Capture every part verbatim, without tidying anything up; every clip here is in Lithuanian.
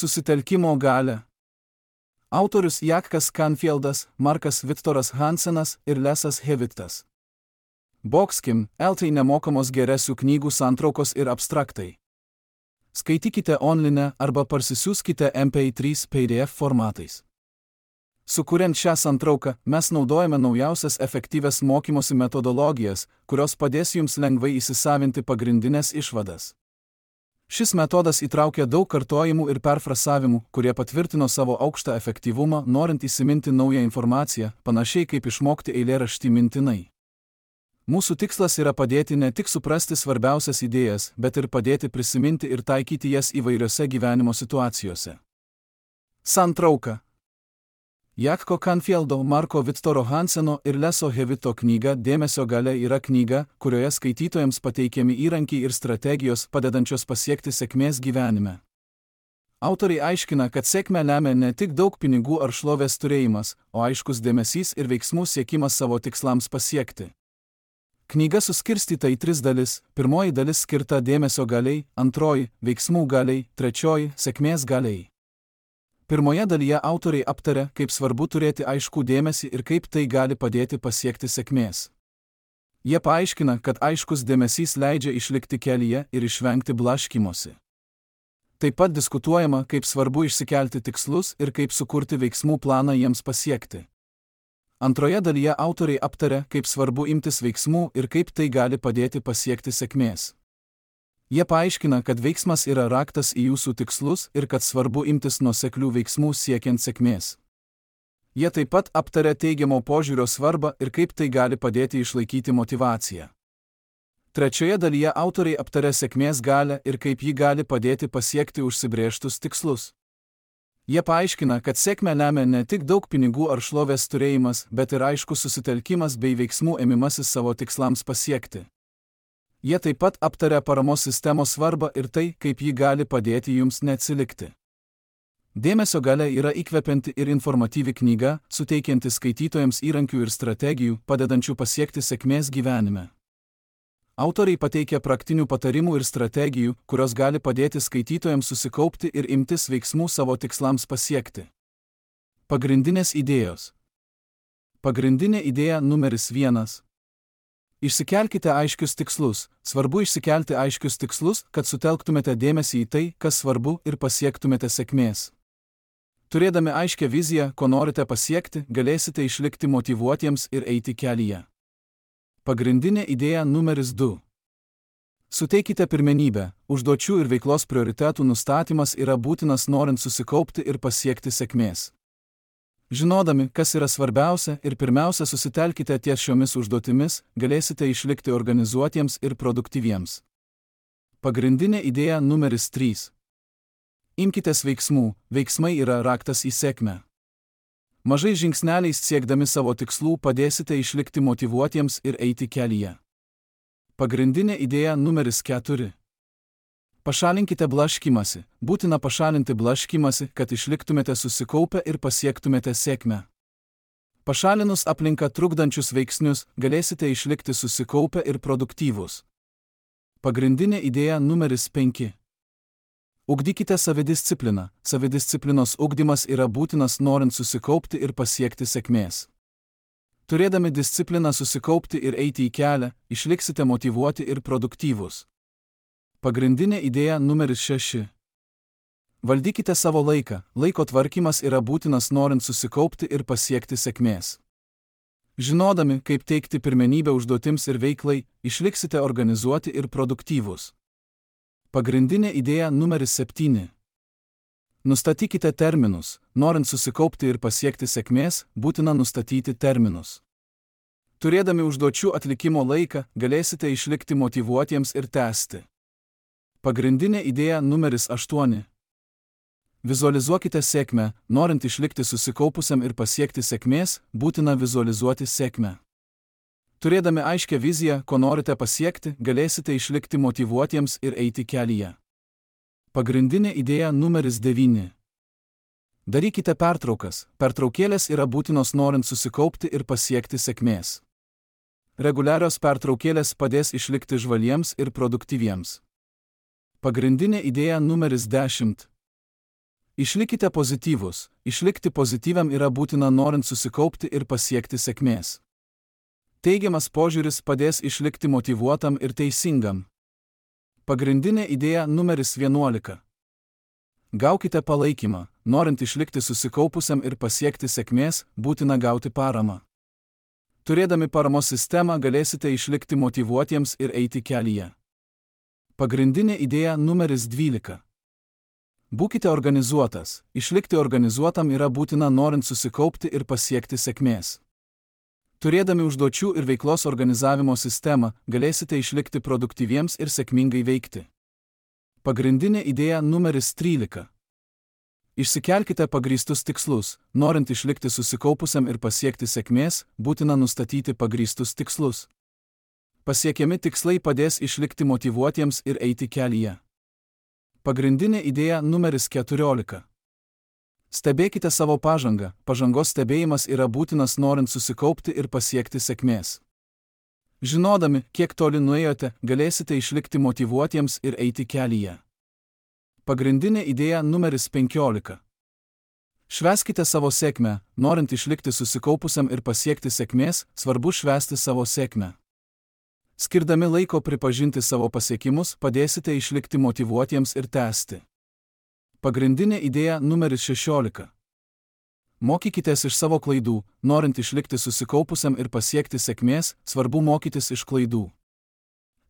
Susitelkimo galia. Autorius Jakas Canfieldas, Markas Viktoras Hansenas ir Lesas Hewitas. Boxkim, eltai nemokamos geresių knygų santraukos ir abstraktai. Skaitykite online arba parsisiųskite M P trys P D F formatais. Sukuriant šią santrauką, mes naudojame naujausias efektyvias mokymosi metodologijas, kurios padės jums lengvai įsisavinti pagrindinės išvadas. Šis metodas įtraukia daug kartojimų ir perfrasavimų, kurie patvirtino savo aukštą efektyvumą, norint įsiminti naują informaciją, panašiai kaip išmokti eilėraštį mintinai. Mūsų tikslas yra padėti ne tik suprasti svarbiausias idėjas, bet ir padėti prisiminti ir taikyti jas įvairiose gyvenimo situacijose. Santrauka. Jakko Canfieldo, Marko Viktoro Hanseno ir Leso Hewito knyga Dėmesio galia yra knyga, kurioje skaitytojams pateikiami įrankiai ir strategijos padedančios pasiekti sėkmės gyvenime. Autoriai aiškina, kad sėkmę lemia ne tik daug pinigų ar šlovės turėjimas, o aiškus dėmesys ir veiksmų siekimas savo tikslams pasiekti. Knyga suskirstyta į tris dalis: pirmoji dalis skirta dėmesio galiai, antroji – veiksmų galiai, trečioji – sėkmės galiai. Pirmoje dalyje autoriai aptaria, kaip svarbu turėti aiškų dėmesį ir kaip tai gali padėti pasiekti sėkmės. Jie paaiškina, kad aiškus dėmesys leidžia išlikti kelyje ir išvengti blaškymosi. Taip pat diskutuojama, kaip svarbu išsikelti tikslus ir kaip sukurti veiksmų planą jiems pasiekti. Antroje dalyje autoriai aptaria, kaip svarbu imtis veiksmų ir kaip tai gali padėti pasiekti sėkmės. Jie paaiškina, kad veiksmas yra raktas į jūsų tikslus ir kad svarbu imtis nuoseklių veiksmų siekiant sėkmės. Jie taip pat aptaria teigiamo požiūrio svarbą ir kaip tai gali padėti išlaikyti motyvaciją. Trečioje dalyje autoriai aptaria sėkmės galią ir kaip ji gali padėti pasiekti užsibrėžtus tikslus. Jie paaiškina, kad sėkmę lemia ne tik daug pinigų ar šlovės turėjimas, bet ir aiškus susitelkimas bei veiksmų ėmimasis savo tikslams pasiekti. Jie taip pat aptaria paramos sistemos svarbą ir tai, kaip ji gali padėti jums neatsilikti. Dėmesio galia yra įkvepianti ir informatyvi knyga, suteikianti skaitytojams įrankių ir strategijų, padedančių pasiekti sėkmės gyvenime. Autoriai pateikia praktinių patarimų ir strategijų, kurios gali padėti skaitytojams susikaupti ir imtis veiksmų savo tikslams pasiekti. Pagrindinės idėjos. Pagrindinė idėja numeris vienas. Išsikelkite aiškius tikslus. Svarbu išsikelti aiškius tikslus, kad sutelktumėte dėmesį į tai, kas svarbu, ir pasiektumėte sėkmės. Turėdami aiškią viziją, ko norite pasiekti, galėsite išlikti motyvuotiems ir eiti kelyje. Pagrindinė idėja numeris du. Suteikite pirmenybę. Užduočių ir veiklos prioritetų nustatymas yra būtinas norint susikaupti ir pasiekti sėkmės. Žinodami, kas yra svarbiausia ir pirmiausia susitelkite ties šiomis užduotimis, galėsite išlikti organizuotiems ir produktyviems. Pagrindinė idėja numeris trys. Imkitės veiksmų. Veiksmai yra raktas į sėkmę. Mažais žingsneliais siekdami savo tikslų padėsite išlikti motyvuotiems ir eiti kelyje. Pagrindinė idėja numeris keturi. Pašalinkite blaškymąsi. Būtina pašalinti blaškymąsi, kad išliktumėte susikaupę ir pasiektumėte sėkmę. Pašalinus aplinką trukdančius veiksnius, galėsite išlikti susikaupę ir produktyvūs. Pagrindinė idėja numeris penki. Ugdykite savidiscipliną. Savidisciplinos ugdymas yra būtinas norint susikaupti ir pasiekti sėkmės. Turėdami discipliną susikaupti ir eiti į kelią, išliksite motyvuoti ir produktyvūs. Pagrindinė idėja numeris šeši. Valdykite savo laiką. Laiko tvarkymas yra būtinas norint susikaupti ir pasiekti sėkmės. Žinodami, kaip teikti pirmenybę užduotims ir veiklai, išliksite organizuoti ir produktyvūs. Pagrindinė idėja numeris septyni. Nustatykite terminus. Norint susikaupti ir pasiekti sėkmės, būtina nustatyti terminus. Turėdami užduočių atlikimo laiką, galėsite išlikti motyvuotiems ir tęsti. Pagrindinė idėja numeris aštuoni. Vizualizuokite sėkmę. Norint išlikti susikaupusiam ir pasiekti sėkmės, būtina vizualizuoti sėkmę. Turėdami aiškią viziją, ko norite pasiekti, galėsite išlikti motyvuotiems ir eiti kelyje. Pagrindinė idėja numeris devyni. Darykite pertraukas. Pertraukėlės yra būtinos norint susikaupti ir pasiekti sėkmės. Reguliarios pertraukėlės padės išlikti žvaliems ir produktyviems. Pagrindinė idėja numeris dešimt. Išlikite pozityvūs. Išlikti pozityviam yra būtina norint susikaupti ir pasiekti sėkmės. Teigiamas požiūris padės išlikti motyvuotam ir teisingam. Pagrindinė idėja numeris vienuolika. Gaukite palaikymą. Norint išlikti susikaupusiam ir pasiekti sėkmės, būtina gauti paramą. Turėdami paramos sistemą galėsite išlikti motyvuotiems ir eiti kelyje. Pagrindinė idėja numeris dvylika. Būkite organizuotas. Išlikti organizuotam yra būtina norint susikaupti ir pasiekti sėkmės. Turėdami užduočių ir veiklos organizavimo sistemą, galėsite išlikti produktyviems ir sėkmingai veikti. Pagrindinė idėja numeris trylika. Išsikelkite pagrįstus tikslus. Norint išlikti susikaupusiam ir pasiekti sėkmės, būtina nustatyti pagrįstus tikslus. Pasiekiami tikslai padės išlikti motyvuotiems ir eiti kelyje. Pagrindinė idėja numeris keturiolika. Stebėkite savo pažangą. Pažangos stebėjimas yra būtinas norint susikaupti ir pasiekti sėkmės. Žinodami, kiek toli nuėjote, galėsite išlikti motyvuotiems ir eiti kelyje. Pagrindinė idėja numeris penkiolika. Švęskite savo sėkmę. Norint išlikti susikaupusiam ir pasiekti sėkmės, svarbu švęsti savo sėkmę. Skirdami laiko pripažinti savo pasiekimus, padėsite išlikti motyvuotiems ir tęsti. Pagrindinė idėja numeris šešiolika. Mokykitės iš savo klaidų. Norint išlikti susikaupusiam ir pasiekti sėkmės, svarbu mokytis iš klaidų.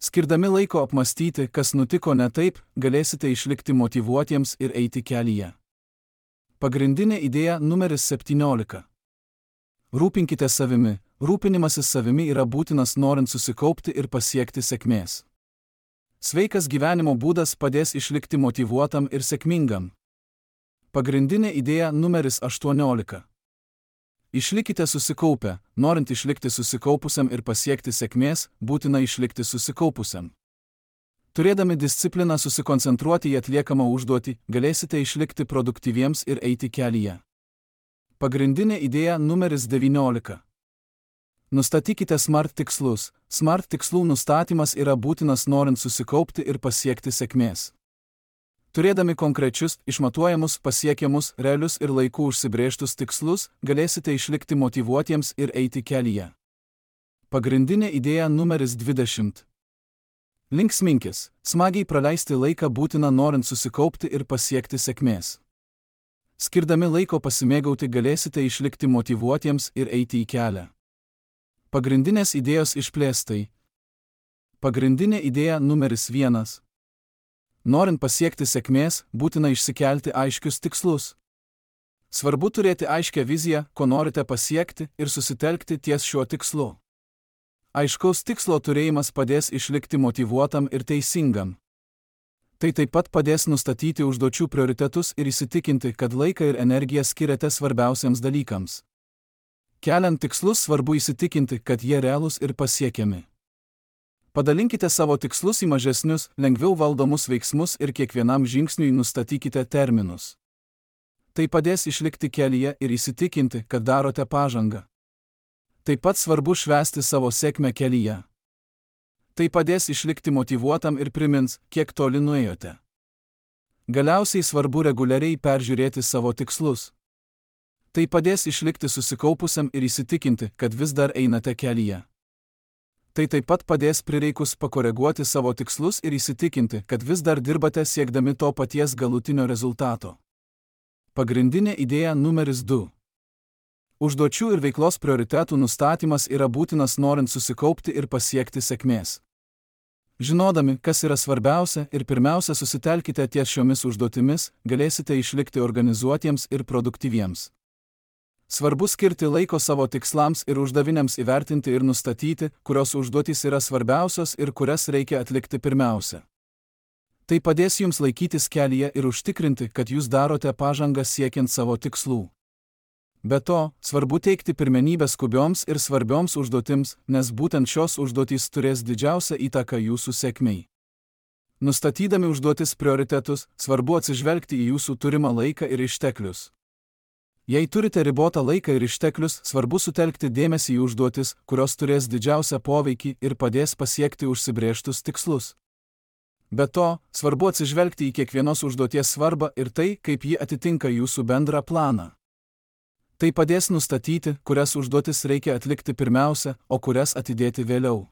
Skirdami laiko apmastyti, kas nutiko ne taip, galėsite išlikti motyvuotiems ir eiti kelyje. Pagrindinė idėja numeris septyniolika. Rūpinkite savimi. Rūpinimasis savimi yra būtinas norint susikaupti ir pasiekti sėkmės. Sveikas gyvenimo būdas padės išlikti motyvuotam ir sėkmingam. Pagrindinė idėja numeris aštuoniolika. Išlikite susikaupę. Norint išlikti susikaupusiam ir pasiekti sėkmės, būtina išlikti susikaupusiam. Turėdami discipliną susikoncentruoti į atliekamą užduotį, galėsite išlikti produktyviems ir eiti kelyje. Pagrindinė idėja numeris devyniolika. Nustatykite SMART tikslus. SMART tikslų nustatymas yra būtinas norint susikaupti ir pasiekti sėkmės. Turėdami konkrečius, išmatuojamus, pasiekiamus, realius ir laiku užsibrėžtus tikslus, galėsite išlikti motyvuotiems ir eiti kelyje. Pagrindinė idėja numeris dvidešimt. Linksminkis. Smagiai praleisti laiką būtina norint susikaupti ir pasiekti sėkmės. Skirdami laiko pasimėgauti galėsite išlikti motyvuotiems ir eiti į kelią. Pagrindinės idėjos išplėstai. Pagrindinė idėja numeris vienas. Norint pasiekti sėkmės, būtina išsikelti aiškius tikslus. Svarbu turėti aiškią viziją, ko norite pasiekti ir susitelkti ties šiuo tikslu. Aiškaus tikslo turėjimas padės išlikti motyvuotam ir teisingam. Tai taip pat padės nustatyti užduočių prioritetus ir įsitikinti, kad laiką ir energiją skiriate svarbiausiams dalykams. Keliant tikslus svarbu įsitikinti, kad jie realūs ir pasiekiami. Padalinkite savo tikslus į mažesnius, lengviau valdomus veiksmus ir kiekvienam žingsniui nustatykite terminus. Tai padės išlikti kelyje ir įsitikinti, kad darote pažangą. Taip pat svarbu švęsti savo sėkmę kelyje. Tai padės išlikti motyvuotam ir primins, kiek toli nuėjote. Galiausiai svarbu reguliariai peržiūrėti savo tikslus. Tai padės išlikti susikaupusiam ir įsitikinti, kad vis dar einate kelyje. Tai taip pat padės prireikus pakoreguoti savo tikslus ir įsitikinti, kad vis dar dirbate siekdami to paties galutinio rezultato. Pagrindinė idėja numeris du. Užduočių ir veiklos prioritetų nustatymas yra būtinas norint susikaupti ir pasiekti sėkmės. Žinodami, kas yra svarbiausia ir pirmiausia susitelkite ties šiomis užduotimis, galėsite išlikti organizuotiems ir produktyviems. Svarbu skirti laiko savo tikslams ir uždaviniams įvertinti ir nustatyti, kurios užduotys yra svarbiausios ir kurias reikia atlikti pirmiausia. Tai padės jums laikytis kelyje ir užtikrinti, kad jūs darote pažangą siekiant savo tikslų. Be to, svarbu teikti pirmenybę skubioms ir svarbioms užduotims, nes būtent šios užduotys turės didžiausią įtaką jūsų sėkmei. Nustatydami užduotis prioritetus, svarbu atsižvelgti į jūsų turimą laiką ir išteklius. Jei turite ribotą laiką ir išteklius, svarbu sutelkti dėmesį į užduotis, kurios turės didžiausią poveikį ir padės pasiekti užsibrėžtus tikslus. Be to, svarbu atsižvelgti į kiekvienos užduoties svarbą ir tai, kaip ji atitinka jūsų bendrą planą. Tai padės nustatyti, kurias užduotis reikia atlikti pirmiausia, o kurias atidėti vėliau.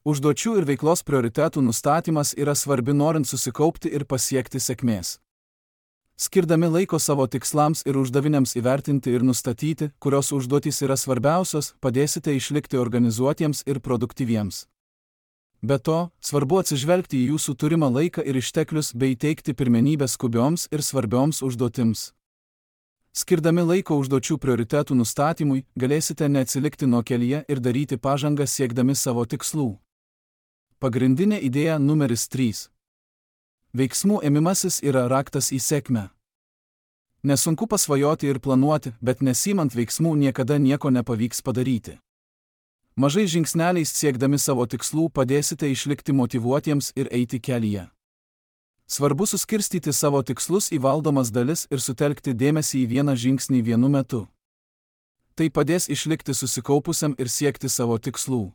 Užduočių ir veiklos prioritetų nustatymas yra svarbi norint susikaupti ir pasiekti sėkmės. Skirdami laiko savo tikslams ir uždaviniams įvertinti ir nustatyti, kurios užduotys yra svarbiausios, padėsite išlikti organizuotiems ir produktyviems. Be to, svarbu atsižvelgti į jūsų turimą laiką ir išteklius bei teikti pirmenybę skubioms ir svarbioms užduotims. Skirdami laiko užduočių prioritetų nustatymui, galėsite neatsilikti nuo kelyje ir daryti pažangą siekdami savo tikslų. Pagrindinė idėja numeris trys. Veiksmų ėmimasis yra raktas į sėkmę. Nesunku pasvajoti ir planuoti, bet nesimant veiksmų niekada nieko nepavyks padaryti. Mažais žingsneliais siekdami savo tikslų padėsite išlikti motyvuotiems ir eiti kelyje. Svarbu suskirstyti savo tikslus į valdomas dalis ir sutelkti dėmesį į vieną žingsnį vienu metu. Tai padės išlikti susikaupusiam ir siekti savo tikslų.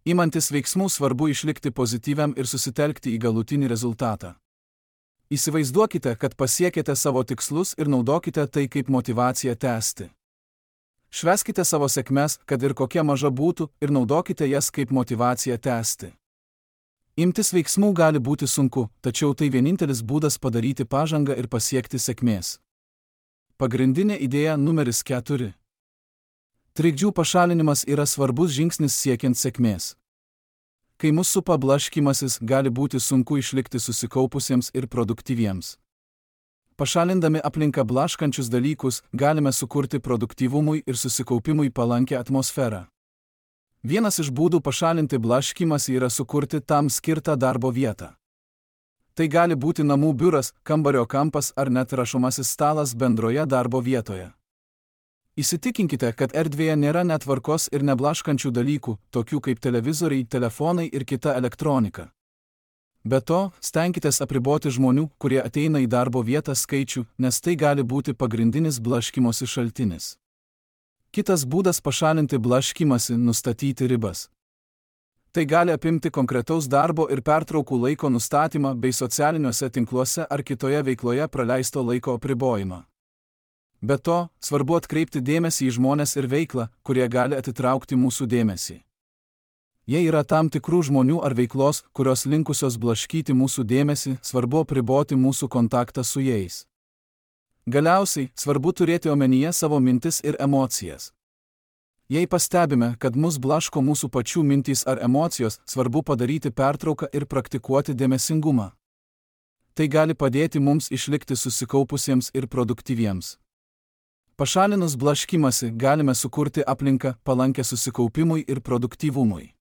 Imantis veiksmų svarbu išlikti pozityviam ir susitelkti į galutinį rezultatą. Įsivaizduokite, kad pasiekėte savo tikslus ir naudokite tai kaip motyvaciją tęsti. Švęskite savo sėkmes, kad ir kokia maža būtų, ir naudokite jas kaip motyvaciją tęsti. Imtis veiksmų gali būti sunku, tačiau tai vienintelis būdas padaryti pažangą ir pasiekti sėkmės. Pagrindinė idėja numeris keturi. Trikdžių pašalinimas yra svarbus žingsnis siekiant sėkmės. Kai mus supa blaškymasis, gali būti sunku išlikti susikaupusiems ir produktyviems. Pašalindami aplinką blaškančius dalykus, galime sukurti produktyvumui ir susikaupimui palankę atmosferą. Vienas iš būdų pašalinti blaškymąsi yra sukurti tam skirtą darbo vietą. Tai gali būti namų biuras, kambario kampas ar net rašomasis stalas bendroje darbo vietoje. Įsitikinkite, kad erdvėje nėra netvarkos ir neblaškančių dalykų, tokių kaip televizoriai, telefonai ir kita elektronika. Be to, stenkitės apriboti žmonių, kurie ateina į darbo vietą skaičių, nes tai gali būti pagrindinis blaškymosi šaltinis. Kitas būdas pašalinti blaškymąsi - nustatyti ribas. Tai gali apimti konkretaus darbo ir pertraukų laiko nustatymą bei socialiniuose tinkluose ar kitoje veikloje praleisto laiko apribojimą. Be to, svarbu atkreipti dėmesį į žmones ir veiklą, kurie gali atitraukti mūsų dėmesį. Jei yra tam tikrų žmonių ar veiklos, kurios linkusios blaškyti mūsų dėmesį, svarbu apriboti mūsų kontaktą su jais. Galiausiai, svarbu turėti omenyje savo mintis ir emocijas. Jei pastebime, kad mus blaško mūsų pačių mintys ar emocijos, svarbu padaryti pertrauką ir praktikuoti dėmesingumą. Tai gali padėti mums išlikti susikaupusiems ir produktyviems. Pašalinus blaškymąsi galime sukurti aplinką palankę susikaupimui ir produktyvumui.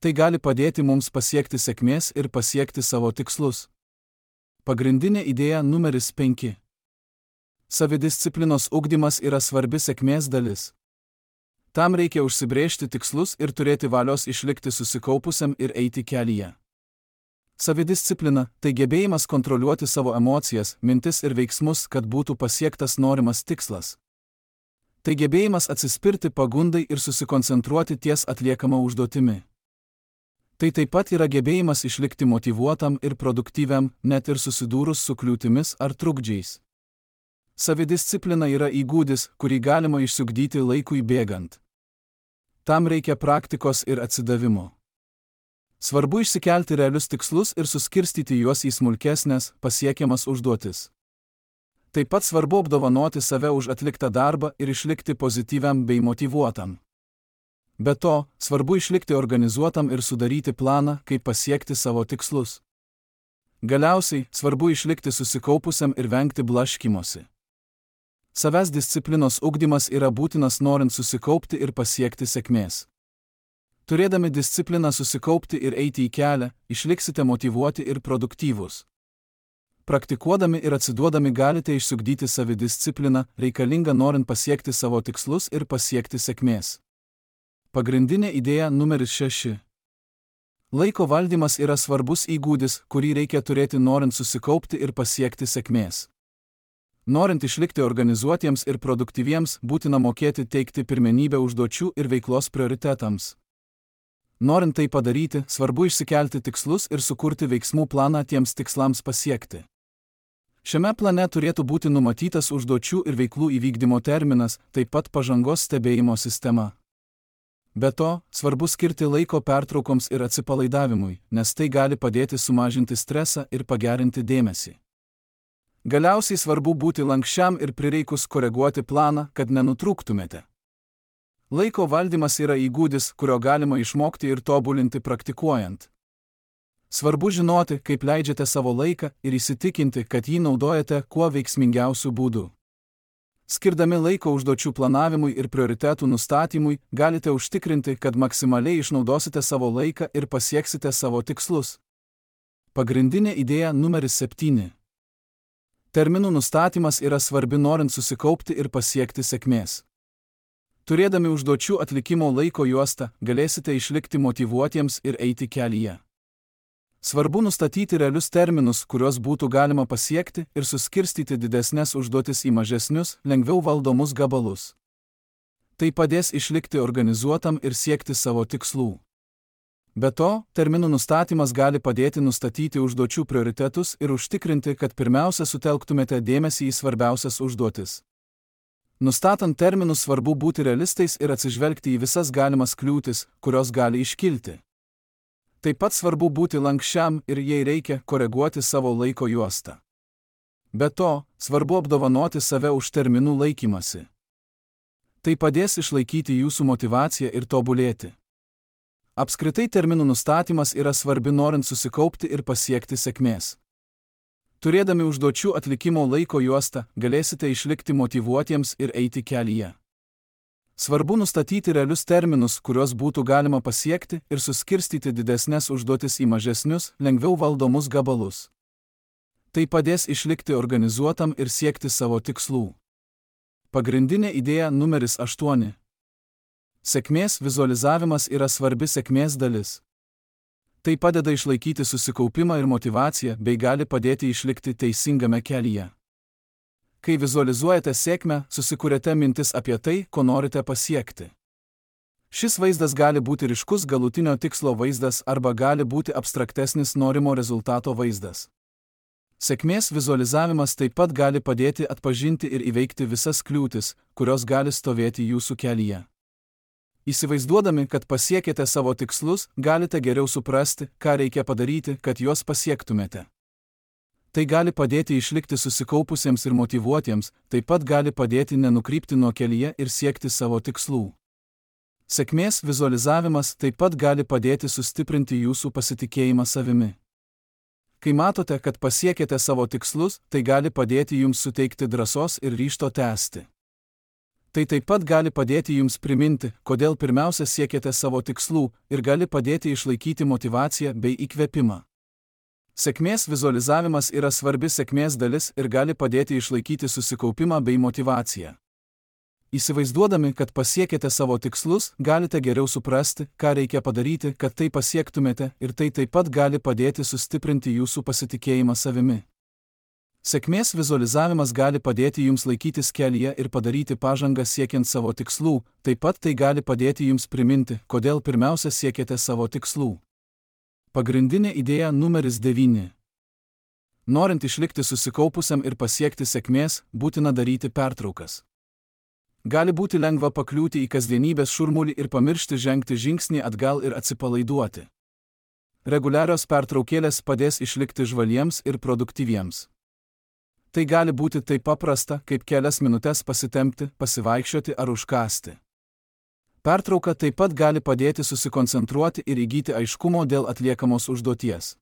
Tai gali padėti mums pasiekti sėkmės ir pasiekti savo tikslus. Pagrindinė idėja numeris penki. Savidisciplinos ugdymas yra svarbi sėkmės dalis. Tam reikia užsibrėžti tikslus ir turėti valios išlikti susikaupusiam ir eiti kelyje. Savidisciplina – tai gebėjimas kontroliuoti savo emocijas, mintis ir veiksmus, kad būtų pasiektas norimas tikslas. Tai gebėjimas atsispirti pagundai ir susikoncentruoti ties atliekama užduotimi. Tai taip pat yra gebėjimas išlikti motyvuotam ir produktyviam, net ir susidūrus su kliūtimis ar trukdžiais. Savidisciplina yra įgūdis, kurį galima išsiugdyti laikui bėgant. Tam reikia praktikos ir atsidavimo. Svarbu išsikelti realius tikslus ir suskirstyti juos į smulkesnės, pasiekiamas užduotis. Taip pat svarbu apdovanoti save už atliktą darbą ir išlikti pozityviam bei motyvuotam. Be to, svarbu išlikti organizuotam ir sudaryti planą, kaip pasiekti savo tikslus. Galiausiai, svarbu išlikti susikaupusiam ir vengti blaškymosi. Savęs disciplinos ugdymas yra būtinas norint susikaupti ir pasiekti sėkmės. Turėdami discipliną susikaupti ir eiti į kelią, išliksite motyvuoti ir produktyvūs. Praktikuodami ir atsiduodami galite išsiugdyti savidiscipliną, reikalingą norint pasiekti savo tikslus ir pasiekti sėkmės. Pagrindinė idėja numeris šeši. Laiko valdymas yra svarbus įgūdis, kurį reikia turėti norint susikaupti ir pasiekti sėkmės. Norint išlikti organizuotiems ir produktyviems, būtina mokėti teikti pirmenybę užduočių ir veiklos prioritetams. Norint tai padaryti, svarbu išsikelti tikslus ir sukurti veiksmų planą tiems tikslams pasiekti. Šiame plane turėtų būti numatytas užduočių ir veiklų įvykdymo terminas, taip pat pažangos stebėjimo sistema. Be to, svarbu skirti laiko pertraukoms ir atsipalaidavimui, nes tai gali padėti sumažinti stresą ir pagerinti dėmesį. Galiausiai svarbu būti lankščiam ir prireikus koreguoti planą, kad nenutrūktumėte. Laiko valdymas yra įgūdis, kurio galima išmokti ir tobulinti praktikuojant. Svarbu žinoti, kaip leidžiate savo laiką ir įsitikinti, kad jį naudojate kuo veiksmingiausiu būdu. Skirdami laiko užduočių planavimui ir prioritetų nustatymui, galite užtikrinti, kad maksimaliai išnaudosite savo laiką ir pasieksite savo tikslus. Pagrindinė idėja numeris septyni. Terminų nustatymas yra svarbi norint susikaupti ir pasiekti sėkmės. Turėdami užduočių atlikimo laiko juostą, galėsite išlikti motyvuotiems ir eiti kelyje. Svarbu nustatyti realius terminus, kuriuos būtų galima pasiekti ir suskirstyti didesnes užduotis į mažesnius, lengviau valdomus gabalus. Tai padės išlikti organizuotam ir siekti savo tikslų. Be to, terminų nustatymas gali padėti nustatyti užduočių prioritetus ir užtikrinti, kad pirmiausia sutelktumėte dėmesį į svarbiausias užduotis. Nustatant terminus svarbu būti realistais ir atsižvelgti į visas galimas kliūtis, kurios gali iškilti. Taip pat svarbu būti lankščiam ir jei reikia, koreguoti savo laiko juostą. Be to, svarbu apdovanoti save už terminų laikymasi. Tai padės išlaikyti jūsų motyvaciją ir tobulėti. Apskritai terminų nustatymas yra svarbi norint susikaupti ir pasiekti sėkmės. Turėdami užduočių atlikimo laiko juostą, galėsite išlikti motyvuotiems ir eiti kelyje. Svarbu nustatyti realius terminus, kuriuos būtų galima pasiekti ir suskirstyti didesnes užduotis į mažesnius, lengviau valdomus gabalus. Tai padės išlikti organizuotam ir siekti savo tikslų. Pagrindinė idėja numeris aštuoni. Sėkmės vizualizavimas yra svarbi sėkmės dalis. Tai padeda išlaikyti susikaupimą ir motyvaciją bei gali padėti išlikti teisingame kelyje. Kai vizualizuojate sėkmę, susikuriate mintis apie tai, ko norite pasiekti. Šis vaizdas gali būti ryškus galutinio tikslo vaizdas arba gali būti abstraktesnis norimo rezultato vaizdas. Sėkmės vizualizavimas taip pat gali padėti atpažinti ir įveikti visas kliūtis, kurios gali stovėti jūsų kelyje. Įsivaizduodami, kad pasiekėte savo tikslus, galite geriau suprasti, ką reikia padaryti, kad juos pasiektumėte. Tai gali padėti išlikti susikaupusiems ir motyvuotiems, taip pat gali padėti nenukrypti nuo kelyje ir siekti savo tikslų. Sėkmės vizualizavimas taip pat gali padėti sustiprinti jūsų pasitikėjimą savimi. Kai matote, kad pasiekėte savo tikslus, tai gali padėti jums suteikti drąsos ir ryžto tęsti. Tai taip pat gali padėti jums priminti, kodėl pirmiausia siekėte savo tikslų ir gali padėti išlaikyti motyvaciją bei įkvėpimą. Sėkmės vizualizavimas yra svarbi sėkmės dalis ir gali padėti išlaikyti susikaupimą bei motyvaciją. Įsivaizduodami, kad pasiekėte savo tikslus, galite geriau suprasti, ką reikia padaryti, kad tai pasiektumėte, ir tai taip pat gali padėti sustiprinti jūsų pasitikėjimą savimi. Sėkmės vizualizavimas gali padėti jums laikytis kelyje ir padaryti pažangą siekiant savo tikslų, taip pat tai gali padėti jums priminti, kodėl pirmiausia siekėte savo tikslų. Pagrindinė idėja numeris devyni. Norint išlikti susikaupusiam ir pasiekti sėkmės, būtina daryti pertraukas. Gali būti lengva pakliūti į kasdienybės šurmulį ir pamiršti žengti žingsnį atgal ir atsipalaiduoti. Reguliarios pertraukėlės padės išlikti žvaliems ir produktyviems. Tai gali būti taip paprasta, kaip kelias minutes pasitempti, pasivaikščioti ar užkąsti. Pertrauka taip pat gali padėti susikoncentruoti ir įgyti aiškumo dėl atliekamos užduoties.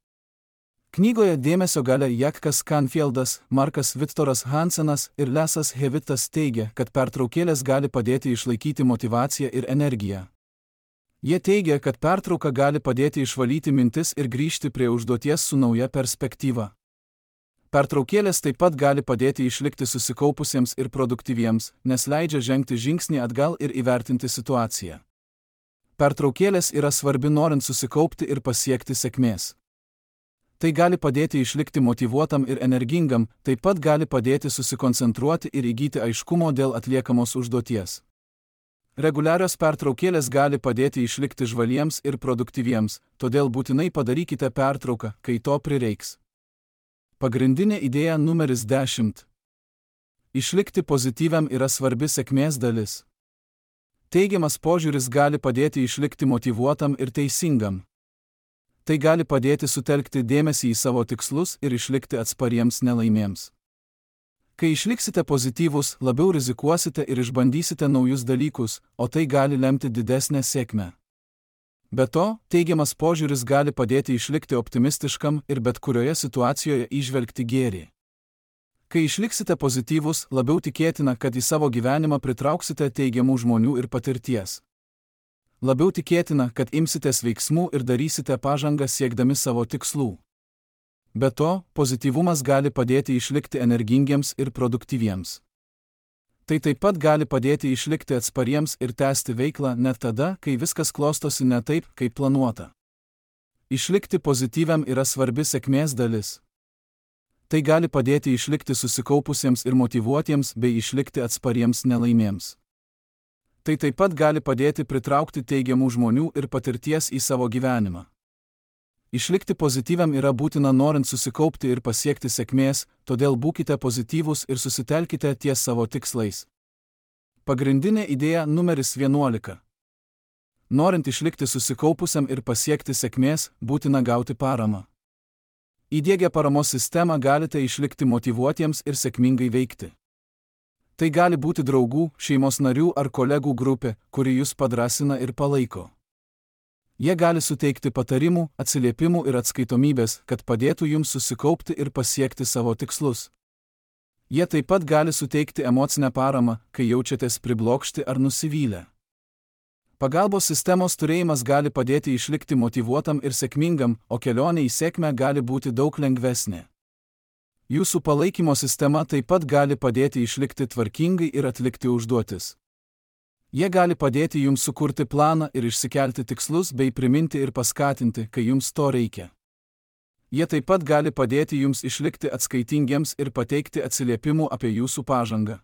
Knygoje Dėmesio galia Jakas Canfieldas, Markas Victoras Hansenas ir Lesas Hewitas teigia, kad pertraukėlės gali padėti išlaikyti motyvaciją ir energiją. Jie teigia, kad pertrauka gali padėti išvalyti mintis ir grįžti prie užduoties su nauja perspektyva. Pertraukėlės taip pat gali padėti išlikti susikaupusiems ir produktyviems, nes leidžia žengti žingsnį atgal ir įvertinti situaciją. Pertraukėlės yra svarbi norint susikaupti ir pasiekti sėkmės. Tai gali padėti išlikti motyvuotam ir energingam, taip pat gali padėti susikoncentruoti ir įgyti aiškumo dėl atliekamos užduoties. Reguliarios pertraukėlės gali padėti išlikti žvaliems ir produktyviems, todėl būtinai padarykite pertrauką, kai to prireiks. Pagrindinė idėja numeris dešimt. Išlikti pozityviam yra svarbi sėkmės dalis. Teigiamas požiūris gali padėti išlikti motyvuotam ir teisingam. Tai gali padėti sutelkti dėmesį į savo tikslus ir išlikti atspariems nelaimėms. Kai išliksite pozityvūs, labiau rizikuosite ir išbandysite naujus dalykus, o tai gali lemti didesnę sėkmę. Be to, teigiamas požiūris gali padėti išlikti optimistiškam ir bet kurioje situacijoje įžvelgti gėrį. Kai išliksite pozityvūs, labiau tikėtina, kad į savo gyvenimą pritrauksite teigiamų žmonių ir patirties. Labiau tikėtina, kad imsitės veiksmų ir darysite pažangą siekdami savo tikslų. Be to, pozityvumas gali padėti išlikti energingiems ir produktyviems. Tai taip pat gali padėti išlikti atspariems ir tęsti veiklą net tada, kai viskas klostosi ne taip, kaip planuota. Išlikti pozityviam yra svarbi sėkmės dalis. Tai gali padėti išlikti susikaupusiems ir motyvuotiems bei išlikti atspariems nelaimėms. Tai taip pat gali padėti pritraukti teigiamų žmonių ir patirties į savo gyvenimą. Išlikti pozityviam yra būtina norint susikaupti ir pasiekti sėkmės, todėl būkite pozityvūs ir susitelkite ties savo tikslais. Pagrindinė idėja numeris vienuolika. Norint išlikti susikaupusiam ir pasiekti sėkmės, būtina gauti paramą. Įdiegę paramos sistemą galite išlikti motyvuotiems ir sėkmingai veikti. Tai gali būti draugų, šeimos narių ar kolegų grupė, kuri jūs padrasina ir palaiko. Jie gali suteikti patarimų, atsiliepimų ir atskaitomybės, kad padėtų jums susikaupti ir pasiekti savo tikslus. Jie taip pat gali suteikti emocinę paramą, kai jaučiatės priblokšti ar nusivylę. Pagalbos sistemos turėjimas gali padėti išlikti motyvuotam ir sėkmingam, o kelionė į sėkmę gali būti daug lengvesnė. Jūsų palaikymo sistema taip pat gali padėti išlikti tvarkingai ir atlikti užduotis. Jie gali padėti jums sukurti planą ir išsikelti tikslus bei priminti ir paskatinti, kai jums to reikia. Jie taip pat gali padėti jums išlikti atskaitingiems ir pateikti atsiliepimų apie jūsų pažangą.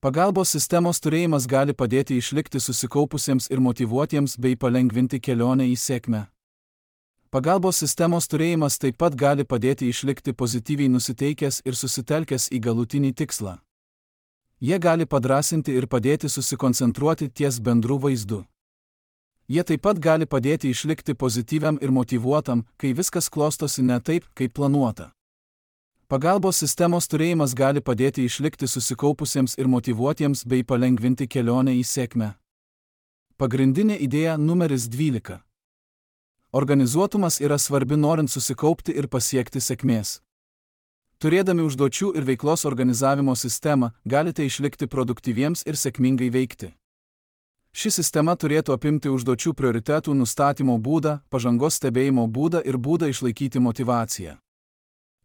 Pagalbos sistemos turėjimas gali padėti išlikti susikaupusiems ir motyvuotiems bei palengvinti kelionę į sėkmę. Pagalbos sistemos turėjimas taip pat gali padėti išlikti pozityviai nusiteikęs ir susitelkęs į galutinį tikslą. Jie gali padrasinti ir padėti susikoncentruoti ties bendru vaizdu. Jie taip pat gali padėti išlikti pozityviam ir motyvuotam, kai viskas klostosi ne taip, kaip planuota. Pagalbos sistemos turėjimas gali padėti išlikti susikaupusiems ir motyvuotiems bei palengvinti kelionę į sėkmę. Pagrindinė idėja numeris dvylika. Organizuotumas yra svarbi norint susikaupti ir pasiekti sėkmės. Turėdami užduočių ir veiklos organizavimo sistemą, galite išlikti produktyviems ir sėkmingai veikti. Ši sistema turėtų apimti užduočių prioritetų nustatymo būdą, pažangos stebėjimo būdą ir būdą išlaikyti motyvaciją.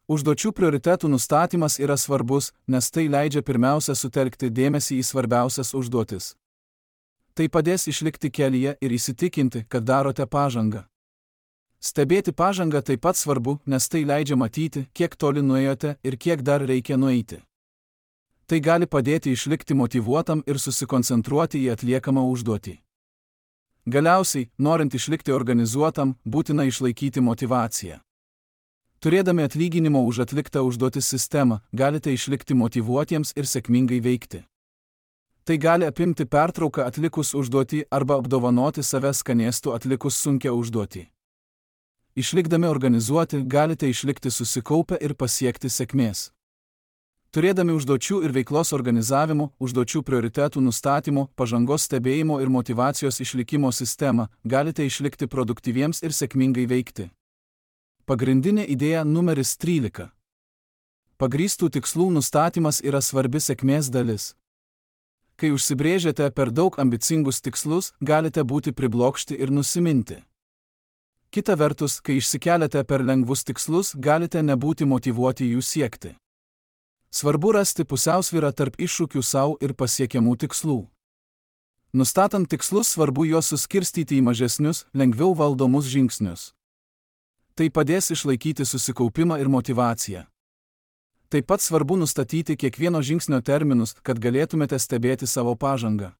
Užduočių prioritetų nustatymas yra svarbus, nes tai leidžia pirmiausia sutelkti dėmesį į svarbiausias užduotis. Tai padės išlikti kelyje ir įsitikinti, kad darote pažangą. Stebėti pažangą taip pat svarbu, nes tai leidžia matyti, kiek toli nuėjote ir kiek dar reikia nueiti. Tai gali padėti išlikti motyvuotam ir susikoncentruoti į atliekamą užduotį. Galiausiai, norint išlikti organizuotam, būtina išlaikyti motyvaciją. Turėdami atlyginimo už atliktą užduotis sistemą, galite išlikti motyvuotiems ir sėkmingai veikti. Tai gali apimti pertrauką atlikus užduotį arba apdovanoti save skanėstu atlikus sunkią užduotį. Išlikdami organizuoti, galite išlikti susikaupę ir pasiekti sėkmės. Turėdami užduočių ir veiklos organizavimo, užduočių prioritetų nustatymo, pažangos stebėjimo ir motyvacijos išlikimo sistemą, galite išlikti produktyviems ir sėkmingai veikti. Pagrindinė idėja numeris trylika. Pagrįstų tikslų nustatymas yra svarbi sėkmės dalis. Kai užsibrėžiate per daug ambicingus tikslus, galite būti priblokšti ir nusiminti. Kita vertus, kai išsikeliate per lengvus tikslus, galite nebūti motyvuoti jų siekti. Svarbu rasti pusiausvyrą tarp iššūkių savo ir pasiekiamų tikslų. Nustatant tikslus, svarbu juos suskirstyti į mažesnius, lengviau valdomus žingsnius. Tai padės išlaikyti susikaupimą ir motyvaciją. Taip pat svarbu nustatyti kiekvieno žingsnio terminus, kad galėtumėte stebėti savo pažangą.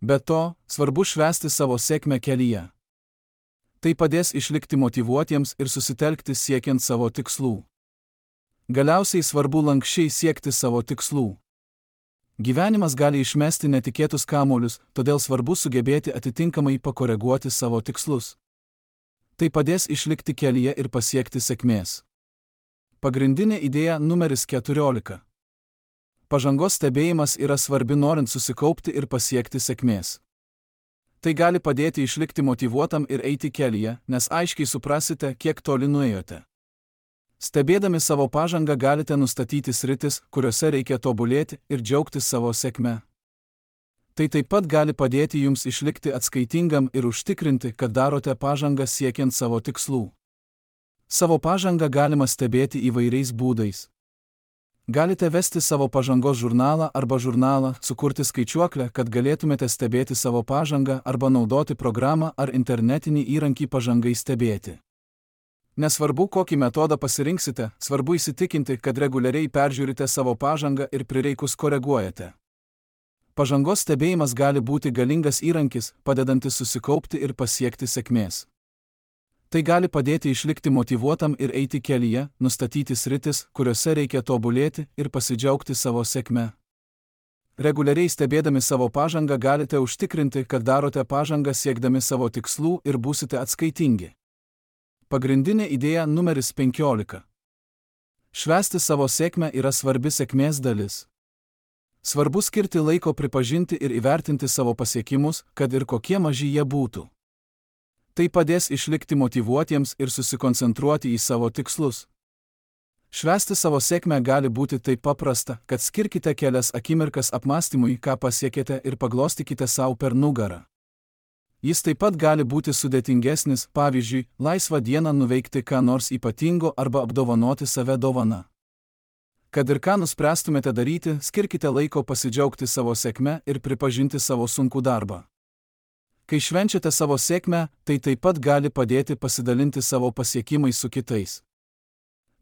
Be to, svarbu švęsti savo sėkmę kelyje. Tai padės išlikti motyvuotiems ir susitelkti siekiant savo tikslų. Galiausiai svarbu lankščiai siekti savo tikslų. Gyvenimas gali išmesti netikėtus kamuolius, todėl svarbu sugebėti atitinkamai pakoreguoti savo tikslus. Tai padės išlikti kelyje ir pasiekti sėkmės. Pagrindinė idėja numeris keturiolika. Pažangos stebėjimas yra svarbi norint susikaupti ir pasiekti sėkmės. Tai gali padėti išlikti motyvuotam ir eiti kelyje, nes aiškiai suprasite, kiek toli nuėjote. Stebėdami savo pažangą galite nustatyti sritis, kuriuose reikia tobulėti ir džiaugtis savo sėkme. Tai taip pat gali padėti jums išlikti atskaitingam ir užtikrinti, kad darote pažangą siekiant savo tikslų. Savo pažangą galima stebėti įvairiais būdais. Galite vesti savo pažangos žurnalą arba žurnalą, sukurti skaičiuoklę, kad galėtumėte stebėti savo pažangą arba naudoti programą ar internetinį įrankį pažangai stebėti. Nesvarbu, kokį metodą pasirinksite, svarbu įsitikinti, kad reguliariai peržiūrite savo pažangą ir prireikus koreguojate. Pažangos stebėjimas gali būti galingas įrankis, padedantis susikaupti ir pasiekti sėkmės. Tai gali padėti išlikti motyvuotam ir eiti kelyje, nustatyti sritis, kuriuose reikia tobulėti ir pasidžiaugti savo sėkme. Reguliariai stebėdami savo pažangą galite užtikrinti, kad darote pažangą siekdami savo tikslų ir būsite atskaitingi. Pagrindinė idėja numeris penkiolika. Švęsti savo sėkmę yra svarbi sėkmės dalis. Svarbu skirti laiko pripažinti ir įvertinti savo pasiekimus, kad ir kokie maži jie būtų. Tai padės išlikti motyvuotiems ir susikoncentruoti į savo tikslus. Švęsti savo sėkmę gali būti taip paprasta, kad skirkite kelias akimirkas apmąstymui, ką pasiekėte ir paglostykite savo per nugarą. Jis taip pat gali būti sudėtingesnis, pavyzdžiui, laisvą dieną nuveikti ką nors ypatingo arba apdovanoti save dovana. Kad ir ką nuspręstumėte daryti, skirkite laiko pasidžiaugti savo sėkme ir pripažinti savo sunkų darbą. Kai švenčiate savo sėkmę, tai taip pat gali padėti pasidalinti savo pasiekimais su kitais.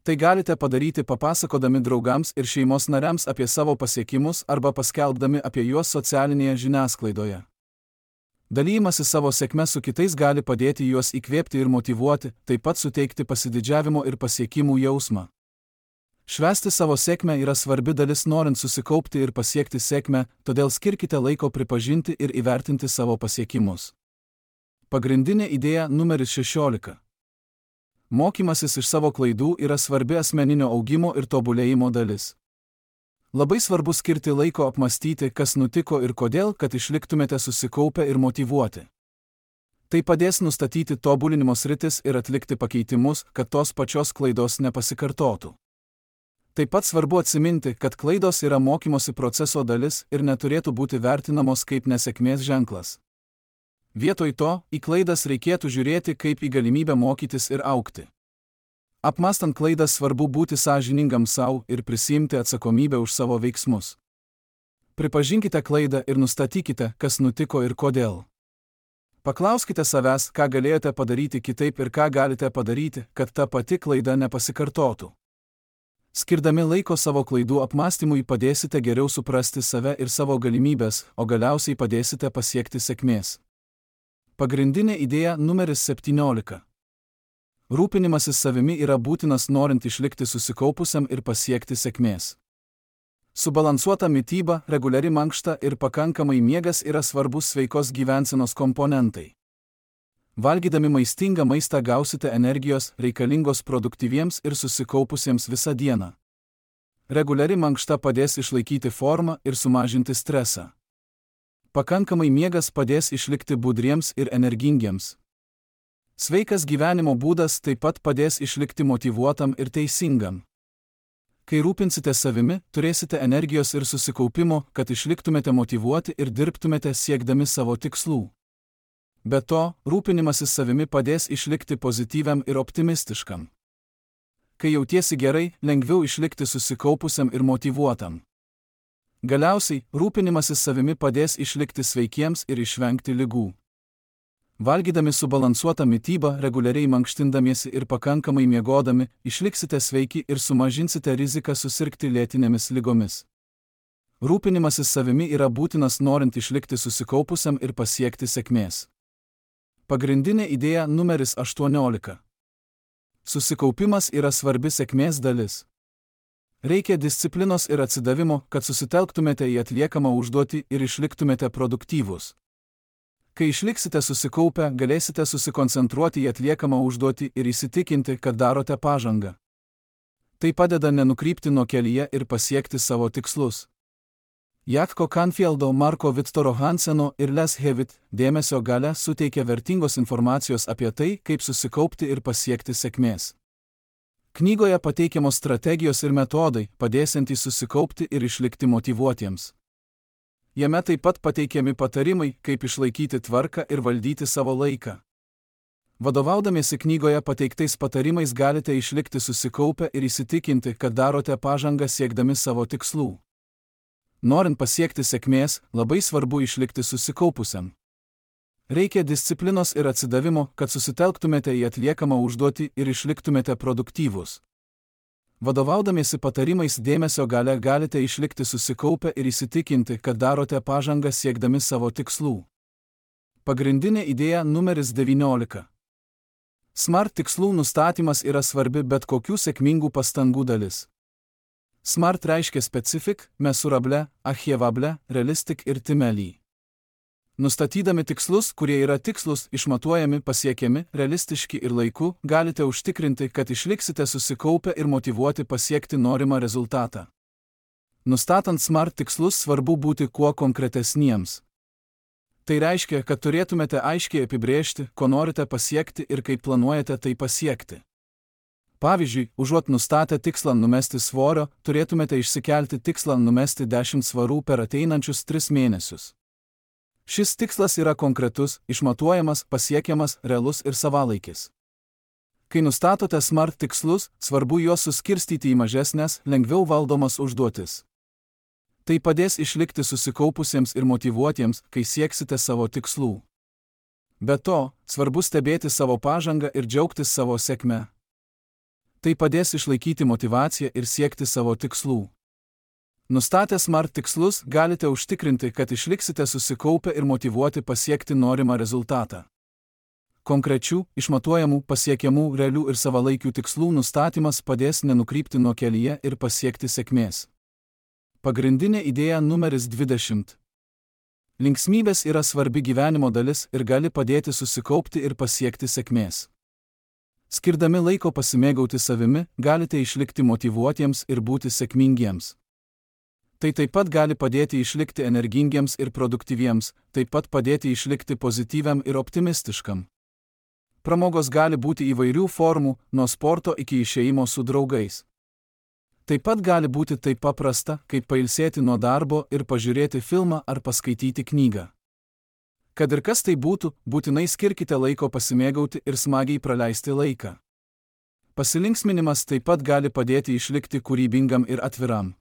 Tai galite padaryti papasakodami draugams ir šeimos nariams apie savo pasiekimus arba paskelbdami apie juos socialinėje žiniasklaidoje. Dalymasis savo sėkme su kitais gali padėti juos įkvėpti ir motyvuoti, taip pat suteikti pasididžiavimo ir pasiekimų jausmą. Švęsti savo sėkmę yra svarbi dalis norint susikaupti ir pasiekti sėkmę, todėl skirkite laiko pripažinti ir įvertinti savo pasiekimus. Pagrindinė idėja numeris šešiolika. Mokymasis iš savo klaidų yra svarbi asmeninio augimo ir tobulėjimo dalis. Labai svarbu skirti laiko apmąstyti, kas nutiko ir kodėl, kad išliktumėte susikaupę ir motyvuoti. Tai padės nustatyti tobulinimo sritis ir atlikti pakeitimus, kad tos pačios klaidos nepasikartotų. Taip pat svarbu atsiminti, kad klaidos yra mokymosi proceso dalis ir neturėtų būti vertinamos kaip nesėkmės ženklas. Vietoj to, į klaidas reikėtų žiūrėti kaip į galimybę mokytis ir augti. Apmąstant klaidas svarbu būti sąžiningam savo ir prisiimti atsakomybę už savo veiksmus. Pripažinkite klaidą ir nustatykite, kas nutiko ir kodėl. Paklauskite savęs, ką galėjote padaryti kitaip ir ką galite padaryti, kad ta pati klaida nepasikartotų. Skirdami laiko savo klaidų apmąstymui padėsite geriau suprasti save ir savo galimybės, o galiausiai padėsite pasiekti sėkmės. Pagrindinė idėja numeris septyniolika. Rūpinimasis savimi yra būtinas norint išlikti susikaupusiam ir pasiekti sėkmės. Subalansuota mityba, reguliari mankšta ir pakankamai miegas yra svarbus sveikos gyvensenos komponentai. Valgydami maistingą maistą gausite energijos, reikalingos produktyviems ir susikaupusiems visą dieną. Reguliari mankšta padės išlaikyti formą ir sumažinti stresą. Pakankamai miegas padės išlikti budriems ir energingiems. Sveikas gyvenimo būdas taip pat padės išlikti motyvuotam ir teisingam. Kai rūpinsite savimi, turėsite energijos ir susikaupimo, kad išliktumėte motyvuoti ir dirbtumėte siekdami savo tikslų. Be to, rūpinimasis savimi padės išlikti pozityviam ir optimistiškam. Kai jautiesi gerai, lengviau išlikti susikaupusiam ir motyvuotam. Galiausiai, rūpinimasis savimi padės išlikti sveikiems ir išvengti ligų. Valgydami subalansuotą mitybą, reguliariai mankštindamiesi ir pakankamai miegodami, išliksite sveiki ir sumažinsite riziką susirgti lėtinėmis ligomis. Rūpinimasis savimi yra būtinas norint išlikti susikaupusiam ir pasiekti sėkmės. Pagrindinė idėja numeris aštuoniolika. Susikaupimas yra svarbi sėkmės dalis. Reikia disciplinos ir atsidavimo, kad susitelktumėte į atliekamą užduotį ir išliktumėte produktyvūs. Kai išliksite susikaupę, galėsite susikoncentruoti į atliekamą užduotį ir įsitikinti, kad darote pažangą. Tai padeda nenukrypti nuo kelyje ir pasiekti savo tikslus. Jaako Canfieldo, Marko Viktoro Hanseno ir Les Hewitt dėmesio galia suteikia vertingos informacijos apie tai, kaip susikaupti ir pasiekti sėkmės. Knygoje pateikiamos strategijos ir metodai, padėsiantys susikaupti ir išlikti motyvuotiems. Jame taip pat pateikiami patarimai, kaip išlaikyti tvarką ir valdyti savo laiką. Vadovaudamiesi knygoje pateiktais patarimais galite išlikti susikaupę ir įsitikinti, kad darote pažangą siekdami savo tikslų. Norint pasiekti sėkmės, labai svarbu išlikti susikaupusiam. Reikia disciplinos ir atsidavimo, kad susitelktumėte į atliekamą užduotį ir išliktumėte produktyvūs. Vadovaudamiesi patarimais dėmesio galia galite išlikti susikaupę ir įsitikinti, kad darote pažangą siekdami savo tikslų. Pagrindinė idėja numeris devyniolika. SMART tikslų nustatymas yra svarbi bet kokių sėkmingų pastangų dalis. SMART reiškia specific, mesurable, achievable, realistic ir timely. Nustatydami tikslus, kurie yra tikslus, išmatuojami, pasiekiami, realistiški ir laiku, galite užtikrinti, kad išliksite susikaupę ir motyvuoti pasiekti norimą rezultatą. Nustatant SMART tikslus svarbu būti kuo konkretesniems. Tai reiškia, kad turėtumėte aiškiai apibrėžti, ko norite pasiekti ir kaip planuojate tai pasiekti. Pavyzdžiui, užuot nustatę tikslą numesti svorio, turėtumėte išsikelti tikslą numesti dešimt svarų per ateinančius tris mėnesius. Šis tikslas yra konkretus, išmatuojamas, pasiekiamas, realus ir savalaikis. Kai nustatote SMART tikslus, svarbu juos suskirstyti į mažesnės, lengviau valdomas užduotis. Tai padės išlikti susikaupusiems ir motyvuotiems, kai sieksite savo tikslų. Be to, svarbu stebėti savo pažangą ir džiaugtis savo sėkme. Tai padės išlaikyti motyvaciją ir siekti savo tikslų. Nustatę SMART tikslus, galite užtikrinti, kad išliksite susikaupę ir motyvuoti pasiekti norimą rezultatą. Konkrečių, išmatuojamų, pasiekiamų, realių ir savalaikių tikslų nustatymas padės nenukrypti nuo kelyje ir pasiekti sėkmės. Pagrindinė idėja numeris dvidešimt. Linksmybės yra svarbi gyvenimo dalis ir gali padėti susikaupti ir pasiekti sėkmės. Skirdami laiko pasimėgauti savimi, galite išlikti motyvuotiems ir būti sėkmingiems. Tai taip pat gali padėti išlikti energingiems ir produktyviems, taip pat padėti išlikti pozityviam ir optimistiškam. Pramogos gali būti įvairių formų, nuo sporto iki išėjimo su draugais. Taip pat gali būti taip paprasta, kaip pailsėti nuo darbo ir pažiūrėti filmą ar paskaityti knygą. Kad ir kas tai būtų, būtinai skirkite laiko pasimėgauti ir smagiai praleisti laiką. Pasilinksminimas taip pat gali padėti išlikti kūrybingam ir atviram.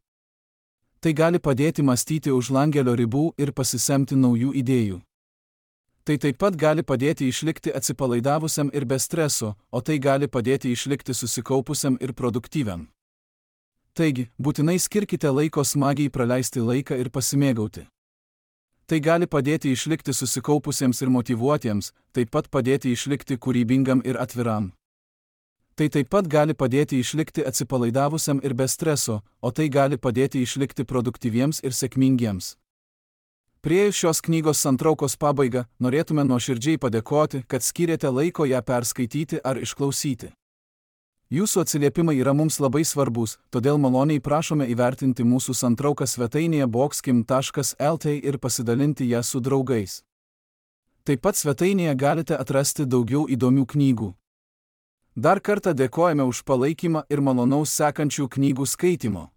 Tai gali padėti mąstyti už langelio ribų ir pasisemti naujų idėjų. Tai taip pat gali padėti išlikti atsipalaidavusiam ir be streso, o tai gali padėti išlikti susikaupusiam ir produktyviam. Taigi, būtinai skirkite laiko smagiai praleisti laiką ir pasimėgauti. Tai gali padėti išlikti susikaupusiems ir motyvuotiems, taip pat padėti išlikti kūrybingam ir atviram. Tai taip pat gali padėti išlikti atsipalaidavusiam ir be streso, o tai gali padėti išlikti produktyviems ir sėkmingiems. Priėjus šios knygos santraukos pabaigą, norėtume nuoširdžiai padėkoti, kad skyrėte laiko ją perskaityti ar išklausyti. Jūsų atsiliepimai yra mums labai svarbus, todėl maloniai prašome įvertinti mūsų santrauką svetainėje boxkim taškas el tė ir pasidalinti ją su draugais. Taip pat svetainėje galite atrasti daugiau įdomių knygų. Dar kartą dėkojame už palaikymą ir malonaus sekančių knygų skaitimo.